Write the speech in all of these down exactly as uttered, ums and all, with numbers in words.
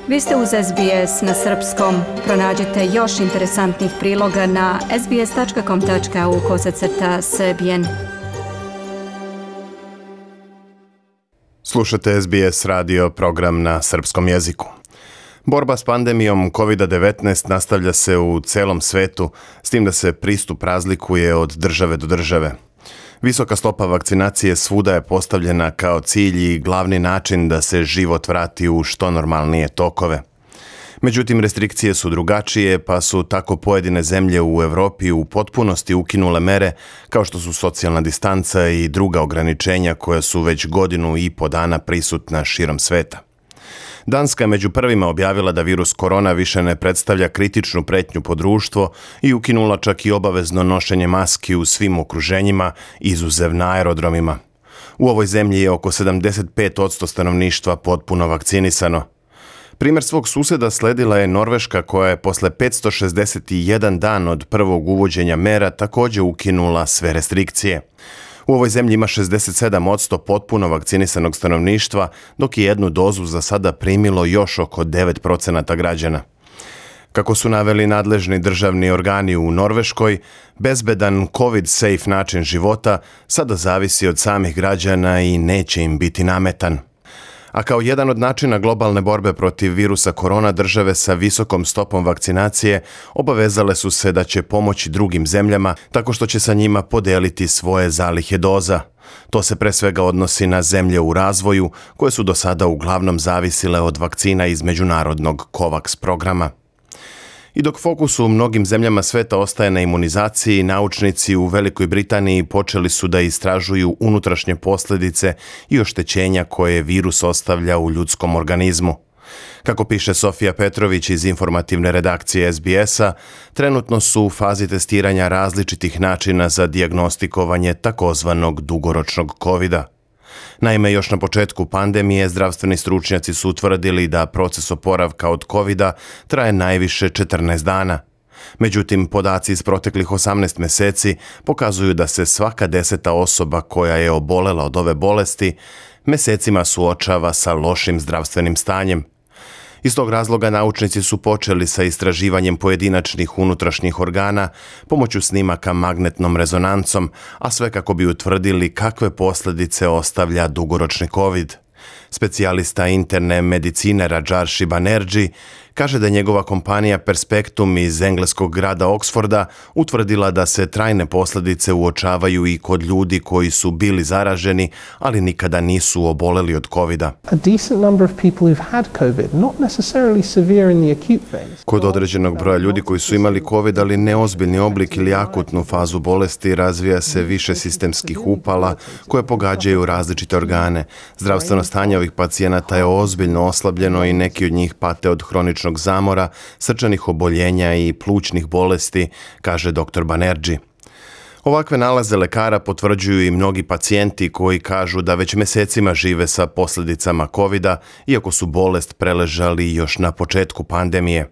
Vi ste uz S B S na srpskom. Pronađite još interesantnih priloga na sbs.com.au kosacrta srbijen. Slušate S B S radio program na srpskom jeziku. Borba s pandemijom kovid devetnaest nastavlja se u celom svetu, s tim da se pristup razlikuje od države do države. Visoka stopa vakcinacije svuda je postavljena kao cilj i glavni način da se život vrati u što normalnije tokove. Međutim, restrikcije su drugačije, pa su tako pojedine zemlje u Evropi u potpunosti ukinule mere kao što su socijalna distanca i druga ograničenja koja su već godinu i po dana prisutna širom sveta. Danska je među prvima objavila da virus korona više ne predstavlja kritičnu pretnju po društvo i ukinula čak i obavezno nošenje maski u svim okruženjima, izuzev na aerodromima. U ovoj zemlji je oko sedamdeset pet posto stanovništva potpuno vakcinisano. Primjer svog suseda sledila je Norveška koja je posle petsto šezdeset jedan dan od prvog uvođenja mera također ukinula sve restrikcije. U ovoj zemlji ima šezdeset sedam posto potpuno vakcinisanog stanovništva, dok je jednu dozu za sada primilo još oko devet posto građana. Kako su naveli nadležni državni organi u Norveškoj, bezbedan COVID-safe način života sada zavisi od samih građana i neće im biti nametan. A kao jedan od načina globalne borbe protiv virusa korona, države sa visokom stopom vakcinacije obavezale su se da će pomoći drugim zemljama tako što će sa njima podeliti svoje zalihe doza. To se pre svega odnosi na zemlje u razvoju koje su do sada uglavnom zavisile od vakcina iz međunarodnog COVAX programa. I dok fokus u mnogim zemljama sveta ostaje na imunizaciji, naučnici u Velikoj Britaniji počeli su da istražuju unutrašnje posljedice i oštećenja koje virus ostavlja u ljudskom organizmu. Kako piše Sofija Petrović iz informativne redakcije S B S-a, trenutno su u fazi testiranja različitih načina za dijagnostikovanje takozvanog dugoročnog kovida. Naime, još na početku pandemije zdravstveni stručnjaci su utvrdili da proces oporavka od kovida traje najviše četrnaest dana. Međutim, podaci iz proteklih osamnaest mjeseci pokazuju da se svaka deseta osoba koja je obolela od ove bolesti mjesecima suočava sa lošim zdravstvenim stanjem. Iz tog razloga naučnici su počeli sa istraživanjem pojedinačnih unutrašnjih organa pomoću snimaka magnetnom rezonancom, a sve kako bi utvrdili kakve posljedice ostavlja dugoročni COVID. Specijalista interne medicine Rajarshi Banerjee kaže da je njegova kompanija Perspectum iz engleskog grada Oxforda utvrdila da se trajne posljedice uočavaju i kod ljudi koji su bili zaraženi, ali nikada nisu oboleli od kovida. Kod određenog broja ljudi koji su imali covid, ali neozbiljni oblik ili akutnu fazu bolesti, razvija se više sistemskih upala koje pogađaju različite organe. Zdravstveno stanje ovih pacijenata je ozbiljno oslabljeno i neki od njih pate od hroničnog zamora, srčanih oboljenja i plućnih bolesti, kaže doktor Banerjee. Ovakve nalaze lekara potvrđuju i mnogi pacijenti koji kažu da već mjesecima žive sa posljedicama kovida, iako su bolest preležali još na početku pandemije.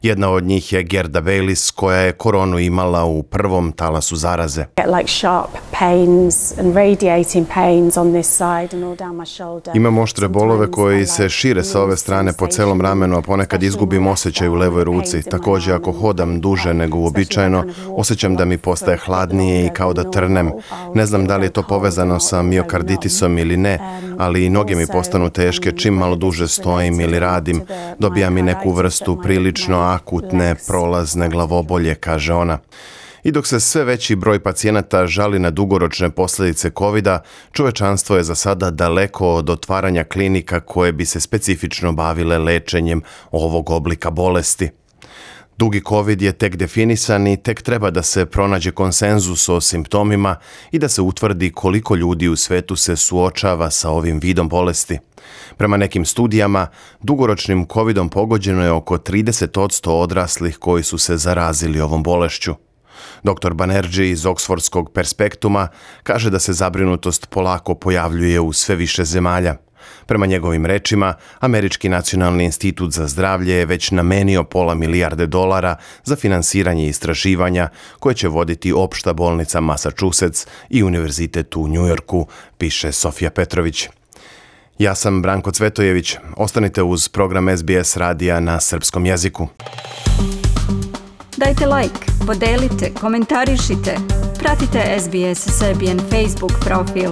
Jedna od njih je Gerda Baylis, koja je koronu imala u prvom talasu zaraze. Imam oštre bolove koji se šire sa ove strane po celom ramenu, a ponekad izgubim osjećaj u levoj ruci. Također, ako hodam duže nego uobičajeno, osjećam da mi postaje hladnije i kao da trnem. Ne znam da li je to povezano sa miokarditisom ili ne, ali i noge mi postanu teške čim malo duže stojim ili radim. Dobijam i neku vrstu prilično akutne prolazne glavobolje, kaže ona. I dok se sve veći broj pacijenata žali na dugoročne posljedice kovida, čovečanstvo je za sada daleko od otvaranja klinika koje bi se specifično bavile lečenjem ovog oblika bolesti. Dugi COVID je tek definisan i tek treba da se pronađe konsenzus o simptomima i da se utvrdi koliko ljudi u svetu se suočava sa ovim vidom bolesti. Prema nekim studijama, dugoročnim covidom pogođeno je oko trideset posto odraslih koji su se zarazili ovom bolešću. doktor Banerjee iz Oksfordskog Perspektuma kaže da se zabrinutost polako pojavljuje u sve više zemalja. Prema njegovim rečima, Američki nacionalni institut za zdravlje je već namenio pola milijarde dolara za finansiranje istraživanja koje će voditi opšta bolnica Massachusetts i Univerzitet u New Yorku, piše Sofija Petrović. Ja sam Branko Cvetojević. Ostanite uz program S B S radija na srpskom jeziku. Dajte like, podelite, komentarišite. Pratite S B S Serbian Facebook profil.